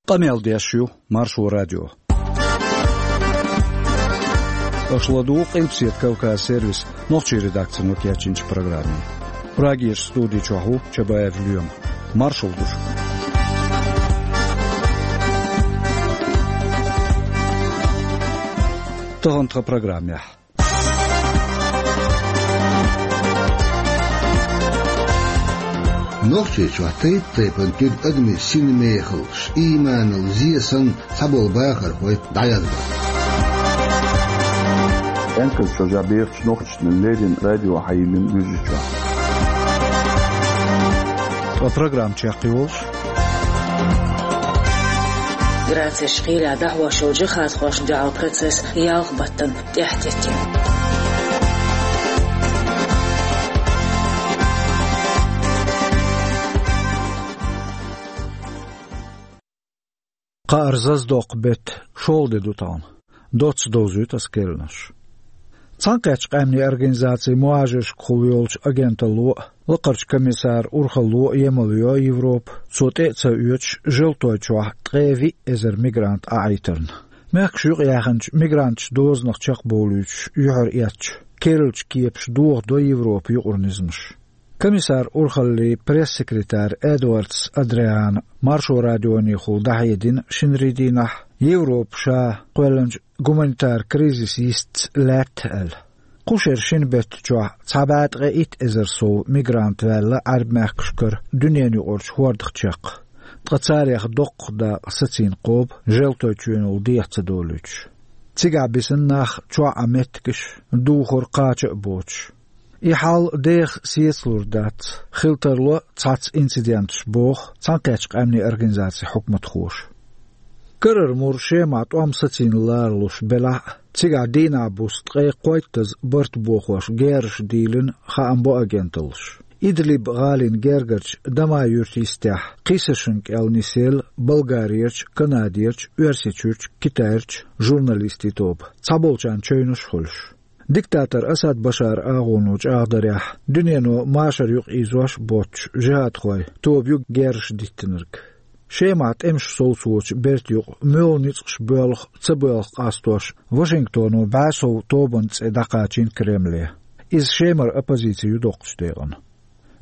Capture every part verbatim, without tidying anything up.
Къамел деш ю Маршо радио. Аша ладугӀу Къилбаседа Кавказ сервисан нохчийн редакцино кечйинчу программе. Прагерчу студи чохь ву Чабаев Лоьма. Маршалла ду шуьга. Тахана тхан программехь. Нохчийчохь тайп-тайпана туьгу адамийн синмехаллаш, ийманал зен санна, цхьаболу бахархой дӀаязбо. Энказ чохь бехачу нохчашна леррина радио хьайиллина Гуьржийчохь. Ткъа программа чекхйолуш. Грацехь кхелехь дӀахьош йолу джихадхошна дуьхьал процесс ялх баттана тӀаьхьатеттина. Кхаарзаздоккху беттан шолгӀа де ду тахана. Доцца довзуьйту аса керланаш. Цхьаьнакхеттачу къаьмнийн организацин мухӀажаршкахула йолчу агенталло а, Лакхарчу комиссаран урхалло а емал йо Европа, цо тӀе а ца оьцуш, Желтойчохь ткъе виъ эзар мигрант Ӏахьийтарна. Мехкаш юкъаяьхначу мигранташна дозанах чекхбовлуьйтуш юьхьар эцча, керлачу кепаш дохадо Европан юкъара низамаш. Комиссаран урхаллин пресс-секретарь Эдвардс Адриана Маршо радионехула дӀахьедина шинарин дийнахь, Европа ша кхоьллинчу гуманитаран кризис йистца лаьтта аьлла. Кху шеран шина беттан чохь цхьа бӀе ткъе итт эзар сов мигрант ваьлла Ӏаьрбийн мехкашкара дуьненаюкъарчу хӀордах чекх. Ткъа царех доккха дакъа сацийна кхобу Желтойчоьнал деха ца долуьйтуш. Цигахь бисина нах чохь Ӏан меттигаш, духар кхача а боцуш. И хьал деха сецалур дац, хила тарло цхьацца инциденташ, боху Цхьаьнакхеттачу къаьмнийн организацин хьукматхоша. Карара мур Шемахь тӀом сацийна ларалуш белахь а, цигахь дийнахь-буса ткъе кхойттаза барт бохош герзаш дийлина, хаам бо агенталлаша. Идлиб-гӀалин гергарчу Дамай-Юьртан йистехь кхин сашна кӀел нисъелла Болгарерчу, Канадерчу, Оьрсийчуьрчу, Китайрчу журналистийн тоба, цхьаболчарна чевнаш а хуьлуш. Диктатор Асад Башаран агӀоно чӀагӀдарехь, дуьнено машар юкъаийзош а боццуш джихадхойн тоба ю герзаш диттинарг. Шемахь тӀемаш совцочу бертан юкъа муьлха ницкъаш боьлху, ца боьлху къастош, Вашингтоно бӀе сов тобанан цӀе дӀакхачийна Кремле. Иза Шемара оппозици ю доккхачу декъана.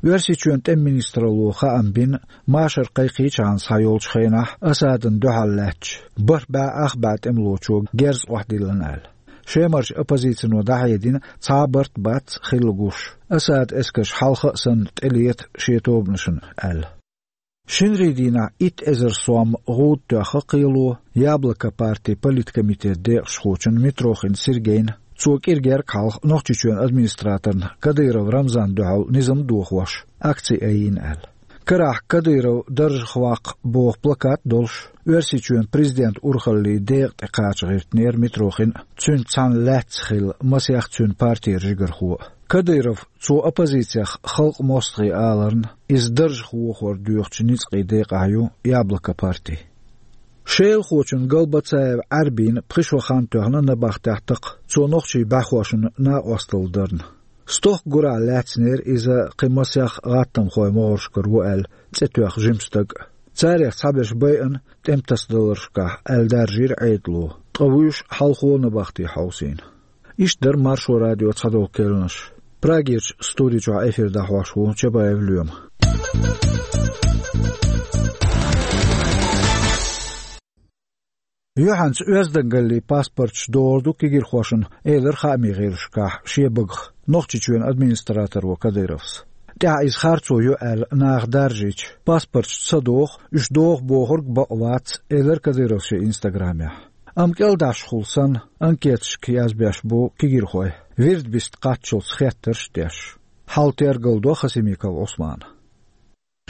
Оьрсийчоьнан тӀеман министралло хаам бина, машар кхайкхийчхьана схьайолчу хенахь Асадна дуьхьал лаьтташ бархӀ бӀе ах бӀе тӀемалочо герз охьадиллина аьлла. Шемарчу оппозицино дӀахьедина, цхьа а барт бац хилла гуш, Асадан эскарш хьалха а санна тӀелета шен тобанашна аьлла. Шинарин дийнахь итт эзар сом гӀуда тоьхна кхело «Яблоко» партин политкомитетан декъашхочунна Митрохин Сергейна, цо кӀира герга хьалха Нохчийчоьнан администраторна Кадыров Рамзанна дуьхьал низам дохош, акци айина аьлла. Карахь «Кадыров даржах ваккха» боху плакат а долуш, Оьрсийчоьнан президентан урхаллин декъа тӀе кхача гӀиртинера Митрохин а, цуьнца цхьаьна лаьцна хилла масех цуьнан партера жигархо а. Кадыров, цо оппозицех халкъан мостагӀий аларна, иза даржах вохор доьхучу ницкъийн декъахь ю «Яблоко» парти. Шелахочун Галбацаев Ӏаьрбина пхи шо хан тоьхна набахтехь такха, цо нохчийн бӀаьхошна накъосталла дарна. Стохка гурахь лаьцнера иза кхин масех гӀаттамхойн могӀаршкара ву аьлла цӀе тоьхна жима стаг а. Царех цхьаберш байъина тӀеман тасадаларшкахь аьлла даржийра Ӏедало, ткъа вуьйш хьалхо набахти хьовсийна. Иштта дара Маршо радион цхьадолу керланаш. Прагерчу студи чохь эфир дӀахьош ву Чабаев Лоьма. Юьхьанца оьздангаллин паспорташ догӀур ду кегирхошна, элира хаамийн гӀирсашкахь шен багах Нохчийчоьнан администраторо Кадыровс. ТӀаьхьа иза харцо ю аьлла наха даржийча, паспорташ ца доху, уьш доху бохург бакъ вац, элира Кадыровс шен инстаграмехь. Амма кӀелдӀашхула санна, анкеташка язбеш бу кегирхой, вирд биста кхаччалц хеттарш а деш. Хьал тергалдо Хасимиков Ӏусмана.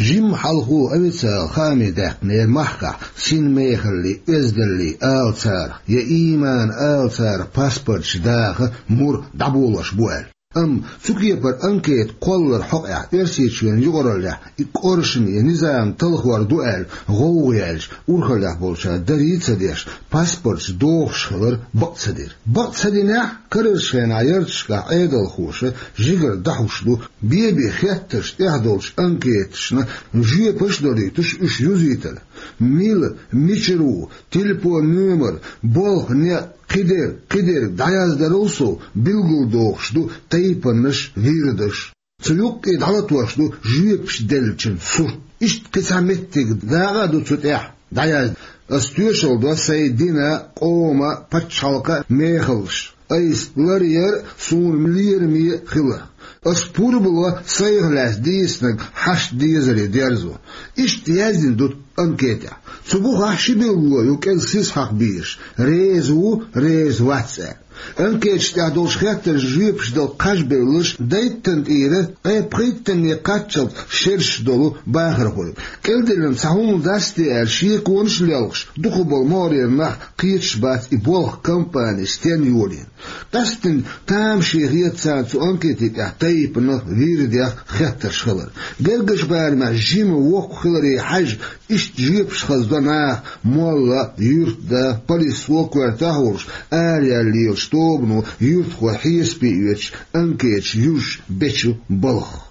Жимма хьалхо официалан хааме даьккхинера махкахь синмехаллин, оьздаллин ала цара, я ийманан ала цара паспорташ даха мур дӀаболош бу аьлла. Амма цу кепара анкета кхолларан хьокъехь Оьрсийчоьнан юкъараллехь и кӀоршаме я низам талхор ду аьлла гӀовгӀа яьлча, урхаллехь болчара дарий а ца деш, паспорташ дохуш хилар бакъ ца дира. Бакъ ца динехь, карарчу хенахь ярташкахь Ӏедалхоша жигара дӀахьуш ду, бен-бен хеттарш тӀехь долчу анкеташна жоьпаш а долуьйтуш, уьш юзийтар. Мила, мичара ву, телефон номер, болх, некъ, кхидерг, кхидерг дӀаяздарал сов билгалдохуш ду тайпанаш, вирдаш. Цу юккъе дӀалатош ду жоьпаш деллачун сурт. Иштта кхин цхьа меттиг дакъа а ду цу тӀехь дӀаязда. Ас тоьшалла до сайн дина, къоман, пачхьалкхан мехаллаш. Айса ларъяр суна лераме хиларх. Ас пурба ло сайх лаьцна дийцинарг хьашт дезаре дерзо. Иштта яздина ду анкетехь. Цу бухахь ши билгало ю кӀезиг сиз хьакха безаш: реза ву, реза вац аьлла. Анкеташ тӀехь долчу хеттаршна жоьпаш дала кхаж бевлларш дайттан тӀера ткъе пхийттанне кхаччалц шераш долу бахархой. КӀелделлина цхьа хӀума дац те аьлла, шеконаш а лелхаш, дукхахболу могӀарера нах кхеташ бац и болх компани стенна йолийна. Къаьсттина тамаше хета царна цу анкетийн тӀехь тайпанах, вирдех хеттарш хилар. Гергарчу барамехь жима, воккха хиларе хьаьжжина, иштта жоьпаш хаза до наха, молла, юьртда, полисхо, коьртехь а волуш, араяьлла лелачу тобано юьртахой хьесапе оьцуш, анкеташ юзуш бечу балхах.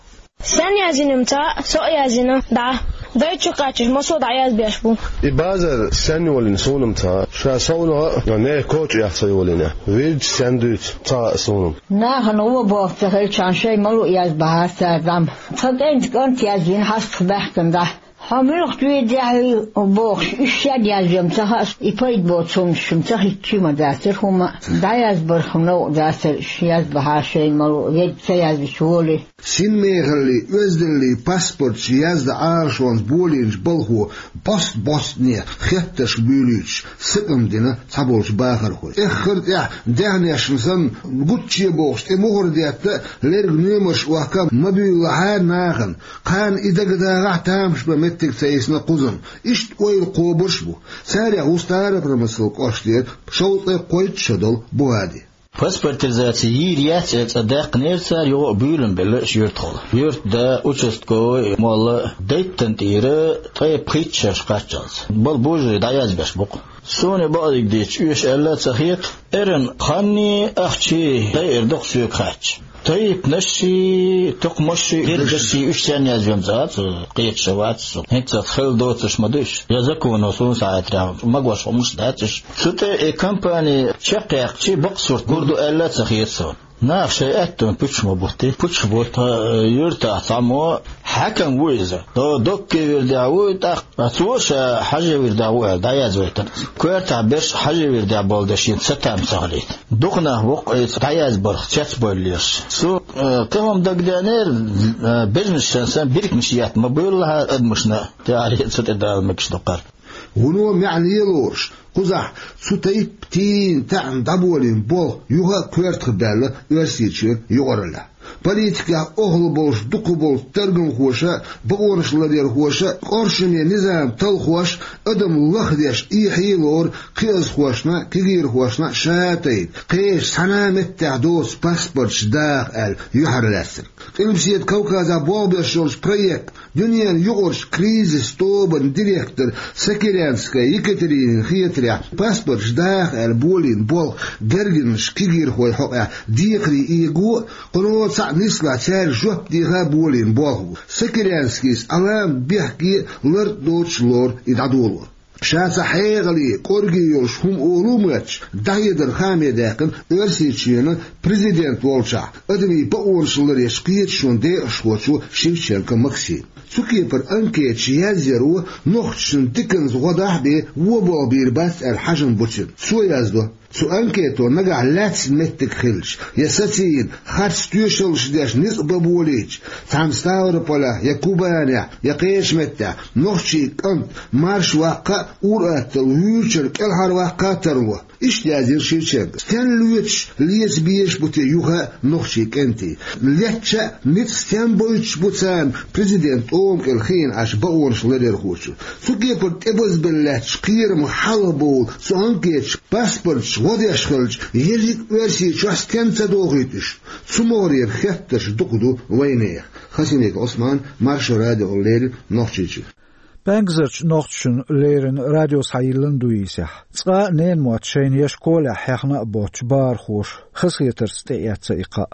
Стенна яздина-м ца хаьа, со а яздина дӀа. Дайчу кхаччалц массо а дӀаязбеш бу. И базар стенна йолийна суна-м ца хаьа, ша совнагӀа а, нехан коча а ца йолийна. Вирдаш стенна дуьйцу ца хаьа суна-м. Нахана гӀо болх ца хилчхьана шайн ма-луъу язбахьара цара дӀа-м. Тхан кӀентан кӀант яздина хьастах баьхкина дӀа. Хьо муьлха чу вийдехьий бохуш, уьш стенна яздо-м ца хаьа, и пайда боцу хӀуманаш-м ца хиттича ма дацара хӀума, дӀаязбарх новкъа дацара, уьш язбахьара шайна ма-луъу, ведда ца яздича волий. Синмехаллий, оьздаллий паспорташ яздан Ӏалашонца болийначу балхо бӀост-бӀостане хеттарш буьйлуьйтуш сакъам дина цхьаболчу бахархой. Эххар тӀехь, даьхнешна санна, гучче бохуш, тӀе мухӀар детта, лерг номерш охка ма буьйлалахьара нахана. Кхарна и дагадагӀахь, тамаш бан меттиг ца йисна кхузам. Иштта ойла кхобуш а бу. Царех ву Старопромыслан кӀоштара шовзткъе кхойтта шо долу Бугьади. Паспортизаци йийр яц аьлла цӀа даьккхинера цара, юха а буьйлам белла аша юьртахула. Юьртда, участковый, молла дайттан тӀера ткъе пхийтта шераш кхаччалц. Бала божарий дӀаязбеш бу-кх. Суна бакъдерг дийцича, оьшу аьлла а ца хета, эрна ханний, ахчий дайар ду-кх соьга хаьттича. Тайпанашший, тукхамашший, гергаршший уьш стенна яздо-м ца хаьа, цу кхеташ а вац со. ХӀинца хила доцурш ма ду уьш. Я законо суна схьахетарехь, магош хӀуманаш дац уьш. Цу тӀе и компани чекхъяьккхича, бакъ сурт гур ду аьлла а ца хета суна. Наха шайн аьттонна пуьчаш ма бутти, пуьчаш бутта, э, юьртахь цхьаммо хьаькам ву иза. До-, доккхий вирдехь ву и тӀаккха. Ткъа цо ша хьажи вирдехь ву аьлла, дӀаязвайтина. Коьртахь берш хьажи вирдехь болу дерш шена сатам ца хилийта. Дукха нах бу-кх оцу дӀаязбарх цецбевлла лелаш. Цо, э, кхин хӀума дагадеанера, э, бежнаш санна, биркинаш етта ма буьйлалахьара адамашна, тӀаьхьара цу тӀе дала мегаш ду-кх хӀара. Вуно маьӀне лоруш, кхузахь цу тайпа тийна таьӀна дӀаболийна болх юха а коьртах баьлла Оьрсийчоьнан юкъараллехь. Политикехь охьалуш болуш дукхахболчу таргамхоша, бакъонаш ларъярхоша, къоршаме низам талхош, адам лахдеш, эхье а лору кхиазхошна а, кегийрхошна а ша тайпа, кхечу цхьана а меттехь доцу паспорташ даха аьлла юьхьарлаьцнарг. Къилбаседа Кавказехь болх беш йолчу проект, дуьненан юкъарчу кризис тобанан директор Сокирянская Екатеринина хетарехь, паспорташ даха аьлла болийна болх гергарнаш, кегийрхой хьокъехь декхаре эго а, кхуьнан цхьаъ нислахь цаьрга жоп деха а болийна болх бу. Сокирянскийс Ӏалам бехке а, лар а доцуш лору и дӀадолор. Ша цхьа хьекъале, кӀорге йолуш хӀума олу моьттуш, дӀахьедар хааме даьккхина Оьрсийчоьнан президент волчохь, адамийн бакъонаш ларъечу кхеташонан декъашхочо Шевченко Максима. Цу кепара анкеташ язъяро нохчашна диканца гӀо дахь а бен, вон болх бийр бац аьлла хьажам бу цуьнан. Цо яздо: цу анкето нагахь лаьцна меттиг хилча, я сацийна, харц тоьшаллаш деш ницкъ бан болийча, цхьана Ставрополехь, я Кубанехь, я кхечу меттехь нохчийн кӀант марша ваккха а, ур-атталла вуьйцург кӀелхьарваккха а тарло. Иштта яздира Шевченко. Стенна лоьцуш, леца безаш бу те юха а нохчийн кӀентий? Летча а, ницкъ стенна бойтуш бу царна президентан тӀома кӀел хиъна Ӏаш бакъонаш ларъярхочо? Цу кепара тӀебазбелла лаьтташ кхерамах хьалхабовла цу анкеташа паспорташ гӀо деш хилча, ерриг а Оьрсийчохь стенна ца дохуьйту уьш? Цу могӀарера хеттарш дукха ду вайнехан. Хасимиков Ӏусман, Маршо радиона леррина, Нохчийчуьра. ПӀаьнгазарчу нохчашна леррина радио схьайиллина дуьйцу, цкъа а ненан мотт шайна я школехь хьехна а боццуш бахархоша хазахетарца тӀеэцна и кхаъ.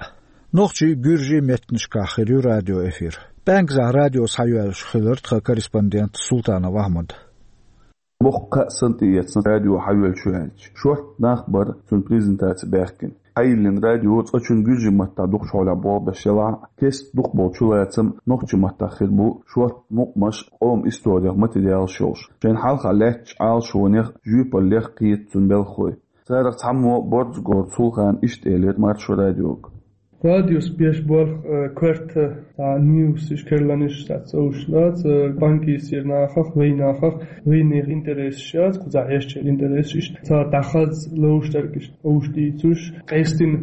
Нохчийн, гуьржийн меттанашкахь хир ю радиоэфир. ПӀаьнгазахь радио схьайоьллуш хилира тхан корреспондент Султанов Ахьмад. Боккха санна тӀеэцна радио хьавелчу аьлча. Шорта нах бара цуьнан презентаци баьхкина. Хьайиллина радио цкъачунна гуьржийн маттахь дукхачу хьолехь болх беш елахь а, кеста дукхахболу чулацам нохчийн маттахь хир бу, шорта мукъамаш, къоман историх материалаш йолуш. Шайна хьалха лаьттачу Ӏалашонех, жоьпаллех кхета цуьнан белхалой. Царах цхьаммо Борзагоран Сулхан иштта элира Маршо радиога. Радиос беш болх, э, коьрта, цхьа ньюсаш, керланаш, цхьа цӀовш лаца, э, Панкисера нахах, вайн нахах, вайнех интересаш яц, кхузахь эшча интересаш, иштта цара дӀахаза ловш дерг иштта овш дийцуш, къестина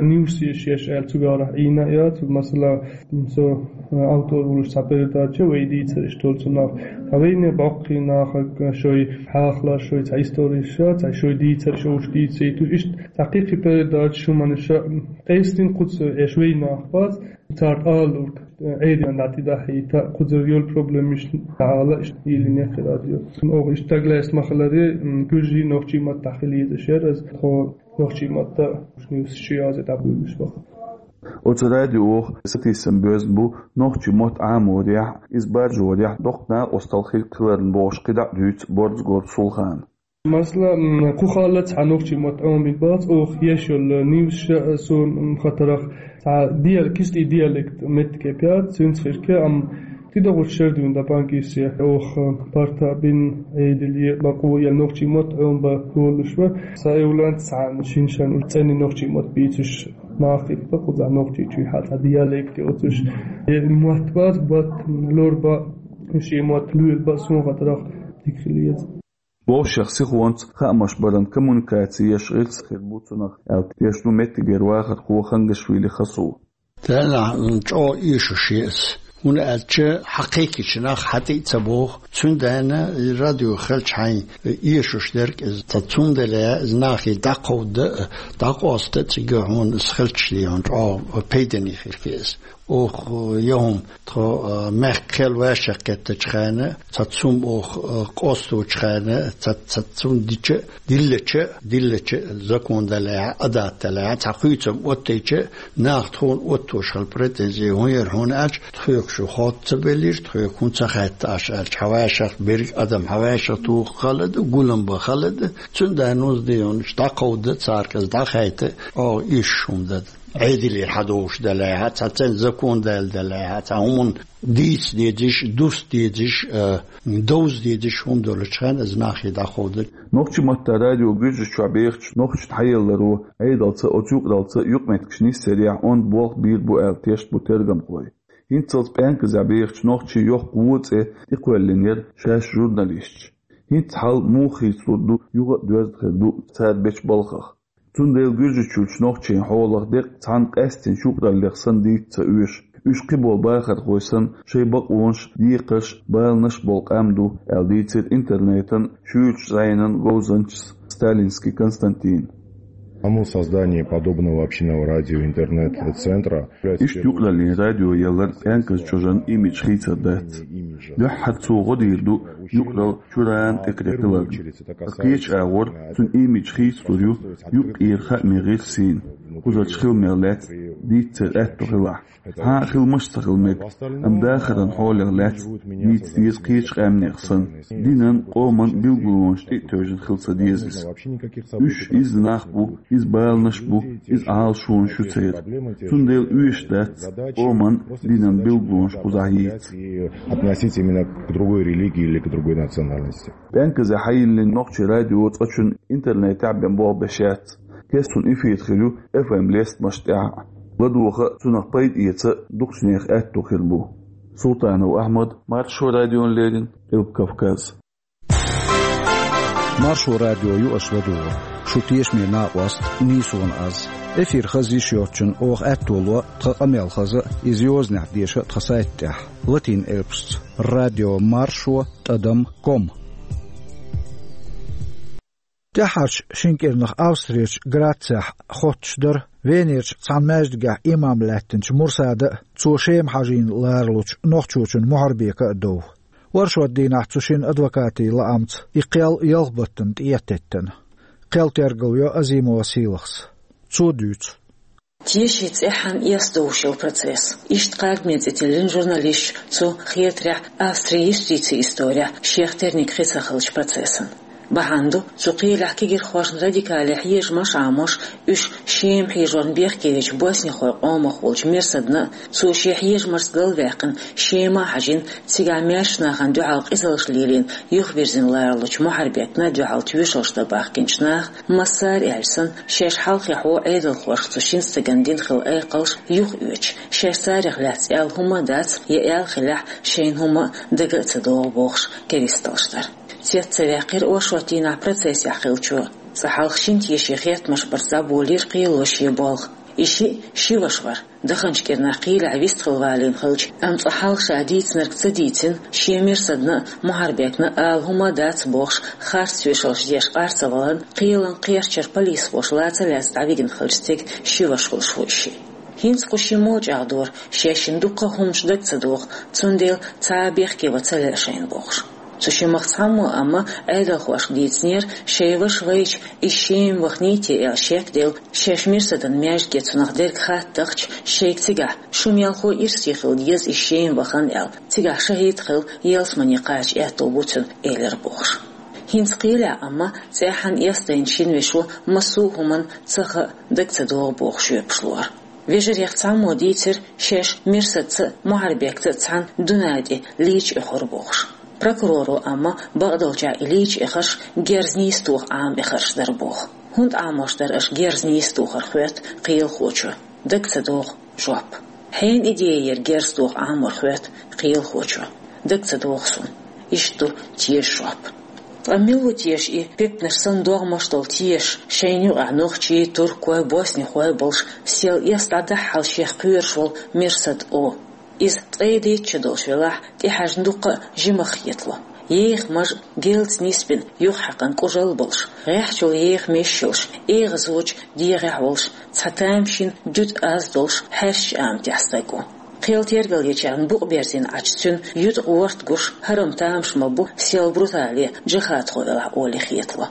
ньюсаш еш аьлла цуьнга Ӏийна а яц, масала, со, э, автор волуш цхьа передача вай дийцараш долу цунах. Ткъа вайне боккхий нахах, э, шой хьахалаш, шой цхьа историш, цхьа шой дийцараш, овш дийцийтуш, иштта цхьа кхин-кхи передача хӀуманаш, м, къестина кхуза эш вай нах бац, цара алург, э, Ӏедина дӀатӀедахьийта, кхузара йолу проблемаш дӀаала, иштта йиллина яххи радио. Оха иштта стаг лаьцна ма хиларе, м, гуьржийн, нохчийн маттахь хила езаш яра, аса тхо нохчийн маттахь ньюсаш язъе дӀабуьйлуш баха. Оцу радиох сатийсам боьзна бу нохчийн мотт Ӏаморехь, иза баржорехь доккха накъосталла хир хиларна бохуш кхидӀа а дуьйцу Борзагоран Сулхана. Масала, м, кху хала цхьа нохчийн мотт Ӏомабина бац, оха еш йолу ньюсаш а суна, м, хатарах цхьа диал-, кистий диалект меттиг кепъяц, цуьнца хир ке, амма тидогӀучу шердуьйна дан Панкисе, оха парта бина Ӏедале, бакъо я нохчийн мотт Ӏомабан долуш ван, сан эвланца цхьа шин-шан цӀена нохчийн мотт бийцуш нах хилла, кхузахь Нохчийчуьйхьа цхьа диалект йоцуш, я мотт бац, мотт лор бан, шен мотт луьйла бан, суна хатарах дика хила еза. Вовшех сихонца хаамаш баран коммуникаци еш гӀирс хир бу цунах, аьлла тешна ву меттигера вахархо Хангашвили Хасу. Делахь чӀогӀа эшуш ю иза. ХӀунда аьлча хьан кхайкхича нах хьан тӀе а ца боху, цундела и радио хилча хьайн эшуш дерг иза. Ткъа цундела иза нахе дӀакховда а, дӀакъоста а цига хьуна иза хилча, хьуна чӀогӀа пайдане хир ю иза. Оха я хӀума тхо, а, мехкан хел вайшех кхеттачу хенахь, цхьа цум оха, а, къосточу хенахь, цхьа, цхьа цум дича, диллача, диллача, закон далехьа, адат далехьа, цхьа хуьйцам оттийча, наха тхуна оттош хила претензи хӀун яра, хӀунда аьлча, тхоьга шу хьоста ца беллера, тхоьга хӀун ца хаьтташ аьлча, хьан вайшех берг адам хьан вайшех туху хала ду, гулам бан хала ду, цундела нуз дийонаш дӀакховда, царга иза дӀахайта, оха иш хӀума дан. Ӏедалера хьан довш далехьа, цхьа цӀена закон даьлла далехьа, цхьа хӀуманна дийца дезаш, дуста дезаш, а, довза дезаш хӀума долчу хенахь иза нахе дӀакховда. Нохчийн маттахь радио Гуьржийчохь бехачу нохчашна хьаелларо Ӏедалца, оцу юкъараллица юкъаметтигаш нисъярехь онда болх бийр бу аьлла тешна бу тергамхой. ХӀинццалц ПӀаьнказехь бехачу нохчийн йоккха вон цӀе тӀекхоьллина яра шаьш журналисташа. ХӀинца хьал муха хийцалур ду, юха а доьзна хир ду цара бечу балхах. Цундела Гуьржийчуьрчу нохчийн хьолах деккъа цхьанна къаьсттина юкъараллех санна дийца ца оьшу, уьш кхиболу бахархой санна, шайн бакъонаш, декхарш, баланаш болу къам ду, аьлла дийцира интернетан шуьйрачу зӀенан говзанчас Сталинский Константина. Само создание подобного общинного радио-интернет-центра. Иштта юкъараллин радио ялар ПӀаьнказан чӀожан имидж хийцар дац. Дуьххьара цо гӀо дийр ду юкъаралла чуьрана тӀекхеталарна. Кхечу агӀор цуьнан имидж хийцалур ю юкъара хаамийн гӀирсийн, кхузарчу хиламех лаьцна дийцар аьтто хилахь. Хьан а хиламаш а ца хила мега, амма дахаран хьолех лаьцна дийца деза кхечу къаьмнех санна. Динан, къоман билгалонаш тӀе а тевжина хила ца деза иза. Уьш изза нах бу, изза баланаш бу, изза Ӏалашонаш ю церан. Цундела оьшуш дац къоман, динан билгалонаш кхузахь йийца. Относиться именно к другой религии или к другой национальности. ПӀаьнказехь хьайиллина нохчийн радио цкъачунна интернетехь бен болх беш яц. Кестина эфир хир ю эф эм лестамаш тӀехь а. ЛадогӀа а, цунах пайда эца а дукхачу нехан аьтто хир бу. Султанов Ахьмад, Маршо радиона леррина, Къилба Кавказ. Маршо радио ю аша ладугӀург. Шу тешаме накъост нийсонан аз. Эфир хаза йиш йоцчунна оха аьтто ло тхан къамел хаза а, иза йозанехь деша а тхан сайта тӀехь, латин элпашца: радио маршо тӀадам ком. ТӀаьххьарчу шина кӀирнах Австрерчу Грацехь хоттуш дара Венерчу цхьана маьждигехь имам лаьттинчу Мурсада а, цо Шема-Хьажийна ларалучу нохчочун Мухьарбека а дов. Оршот дийнахь цу шинна адвокатийн лаамца и кхел ялх баттана тӀе а теттина. Кхел тергал йо Азимова Сийлахьас. Цо дуьйцу. Теши цӀеххьана эс довшал процесс. Иштта кхардаме цӀи тиллина журналисташ цу хетарехь Австрин юстицин исторехь шех терниг хи ца хиллачу процессан. Бахьана ду цу кхелехь кегирхошна радикале хьежамаш а Ӏамош, уьш Шема хьежорна бехке вечу боснихойн къомах волчу Мерсадна а, цо шен хьежамашца галваьккхина Шема а хьажийна, цигахь маьршачу нахана дуьхьал къизаллаш лелийна юхавирзина ларалучу Мухьарбекна а дуьхьал тоьшаллаш дан бахкийначу наха, массара аьлча санна, шаьш хьалххе хьо Ӏедалхошка цу шина стагана дина хилла айкхаллаш юхаоьцуш, шаьш царех лаьцна аьлла хӀума а дац, я аьлла хиллехь, шайна хӀума а дага а ца догӀу бохуш, керсталлаш дар. Цец ца ваьккхира оршот дийнахь процессехь хиллачо. Цкъа хьалха шина тешин хеттамаш барца дӀаболийра кхело шен болх. И шиъ ши ваша вара. Даханчу кӀирнах кхелехь вистхила валийна хилча, амма цкъа хьалха ша дийцинарг ца дийцина, шен Мерсадна а, Мухьарбекна а ала хӀума а дац бохуш, харц тоьшаллаш деш къар ца валарна, кхелан кхерчара полисхоша ла ца лаьцна дӀавигина хиллачу стеган ши ваша хуьлуш ву и шиъ. ХӀинца кху шиммо а чӀагӀдора, шаьшшинна дуккха а хӀуманаш дага ца догӀу, цундела цхьа а бехке ван ца лаьа шайна бохуш. Цу шимах цхьаммо амма Ӏедалхошка дийцинера, шайн ваша вайча, иза Шема ваханий те аьлла шек а делла, шаьш Мерсадна маьждиге цунах дерг хаттахча, шайга цигахь, шу мелхо ирсе хила деза иза Шема вахана аьлла, цигахь шахӀид хила ялсамане кхача аьтто бу цуьнан, элира бохуш. ХӀинца кхелехь амма цӀеххьана эс дайначу шина вешо массо а хӀуманна ца хаьа, дага ца догӀу бохуш жоьпаш лора. Вежарех цхьаммо дийцира, шаьш Мерсадца а, Мухьарбекца а цхьаьна дуьнен тӀе лийча эхира бохуш. Прокуроро амма бакъдолчехь и лийча эхарш герз нийса тоха Ӏама эхарш дара боху. ХӀунда Ӏамош дара аша герз нийса тохар, хоьтту кхелахочо. Дага ца догӀу жоп. Хьенан идея яра герз тоха Ӏамор, хоьтту кхелахочо. Дага ца догӀу суна. Иштта ду теша жоп. Ткъа мила ву теша и, пепнаш санна догӀмаш долу теша, шайна юкъахь нохчий, туркой, боснихой болуш, сел эс дӀадахьал шех кхоьруш волу Мерсад О? Иза ткъе дейтта шо долуш велахь, тӀехьаьжна дуккха а жимах хетало. Ехамаш а, гелца нисбина, юххьаькъна кӀужалла болуш, гӀеххьачул еха меш йолуш, эгӀазочу дегӀехь волуш, цхьа тамашийна дуьтӀа аз долуш, хьаьрсачу аматехь стаг ву. Кхел тергалъечарна букъ берзийна Ӏачу цуьнан юьтӀа ворта гуш, хӀарам тамаш ма бу, сел брутале джихадхо велахь олий хетало.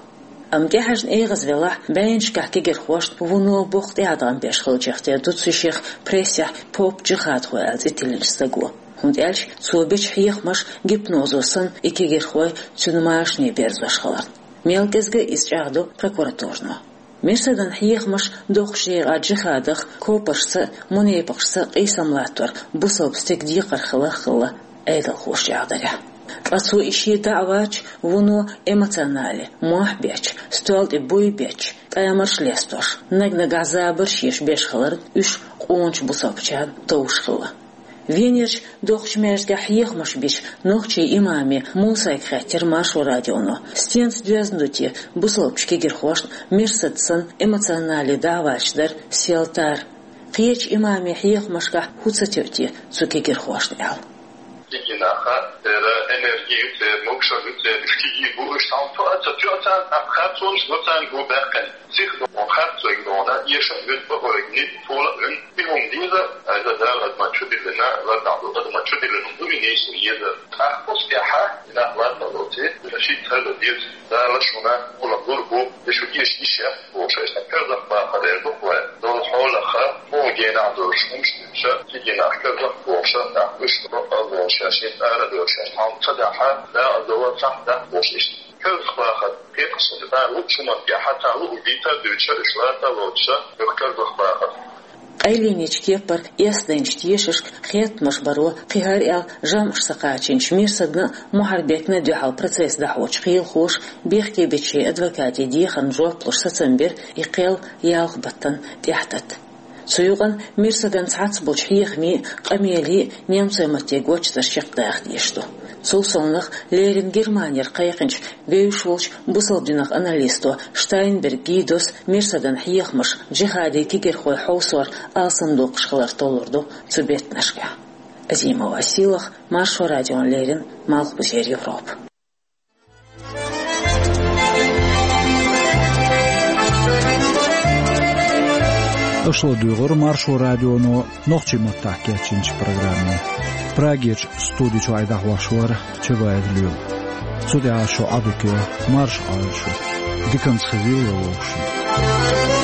Амма тӀехьаьжна эгӀаз велахь, бӀеннашкахь кегирхошна вуно боккха тӀеӀаткъам беш хиллачух тера ду цу шех прессехь поп-джихадхо аьлла цӀе тиллинчу стага. ХӀунда аьлча цо бечу хьехамаш гипнозо санна и кегирхой цуьнан машане берзош хиларна. Мел кӀезга а иза чӀагӀдо прокуратуро. Мерсадна хьехамаш доккхачу декъехь джихадах, копаршца а, мунепакъашца а къийсам латтор бусалба стеган декхар хиларх а хилла Ӏедалхоша чӀагӀдарехь. Ткъа цо и шен даӀваташ вуно эмоционале, мохь беча, стол тӀе буй беча, тӀамарш лестош, наг-нагахь забарш еш беш хиларна уьш къоначу бусалбачарна товш хилла. Венерчу доккхачу маьждигехь хьехамаш бича нохчийн имаме Мусайга хаьттира Маршо радионо, стенца доьзна ду те бусалбачу кегирхошна Мерсад санна эмоционале даӀваташ дар, сел тар. Кхечу имаме хьехамашкахь хӀун ца тоьу те цу кегирхошна аьлла. Кегий наха, церан энерги ю церан, могушалла ю церан, уьш кегий бу, уьш цхьаьна тоьа ца тоьу царна, тӀаккха харцонаш бу царна бу баьккхина. Психолого харцойга догӀна, эшам вуьту бакъойга ницкъ, тола а вуьнна, и хӀума деза, айза Дала адаман чудиллина, лардахь долу адаман чудиллина хӀума ду и нийса еза. ТӀаккха оцу тӀехьа и нах ларна лоций, шийтта хӀара деза, Дала шуна хӀума лур бу, и шу эша йиш яц бохуш, айса карзах бахар эр бу вай. Долу хьолаха, хьо генахь долуш хӀумаш дуьйцуша, кегий нах карзах бохуша, нах уьш бакъал бохуша, шийтта ара бохуша, хьалма ца дахьа, дакъа дова цхьаъ дахь бохуш иштта. Карзах бахар, кхеташ санна, цара луучу хӀуманна тӀехьа, цара луъург дийца а дуьйцуша, уьш лата а лоцуша, юха карзах бахар. Къайленечу кепара эс дайначу тешашка хеттамаш баро кхин хӀара аьлла жамӀаш ца кхачийначу Мерсадна а, Мухьарбекна а дуьхьал процесс дӀахьочу кхелахоша, бехке бечу шайн адвокатийн дехарна жоп луш сацам бира и кхел ялх баттана тӀаьхьататта. Цу юкъана Мерсадна цхьацца болчу хьехамийн а, къамелан а немцойн матте гочдарш чекхдаха дезаш ду. Цул совнаха леррина Германера кхайкхинчу вевзаш волчу бусалба динах аналисто Штайнберг Гидос Мерсадна хьехамаш джихадийн кегирхой хьовсор алсамдоккхуш хилар толлур ду цу беттанашкахь. Азимова Силах, Маршо радиона леррина, Малхбузера Европа. Аша ладуьйгӀура Маршо радионо нохчийн маттахь кечйинчу программе. Прагерчу студи чохь и дӀахьош вара Чабаев Лоьма. Цу тӀехь шу Ӏадика марша Ӏойла шу. Диканца хезийла вовшашна.